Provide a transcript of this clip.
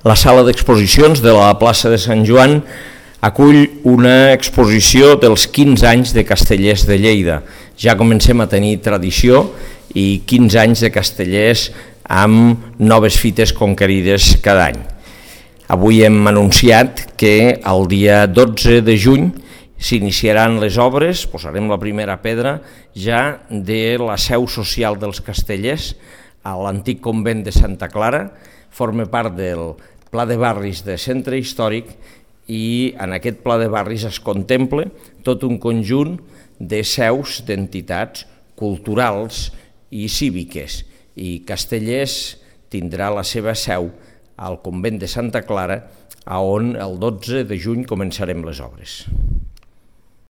La sala d'exposicions de la plaça de Sant Joan acull una exposició dels 15 anys de Castellers de Lleida. Ja comencem a tenir tradició i 15 anys de Castellers amb noves fites conquerides cada any. Avui hem anunciat que el dia 12 de juny s'iniciaran les obres, posarem la primera pedra, ja de la seu social dels Castellers a l'antic convent de Santa Clara. Forma part del Pla de Barris de Centre Històric i en aquest Pla de Barris es contempla tot un conjunt de seus d'entitats culturals i cíviques, i Castellers tindrà la seva seu al convent de Santa Clara, on el 12 de juny començarem les obres.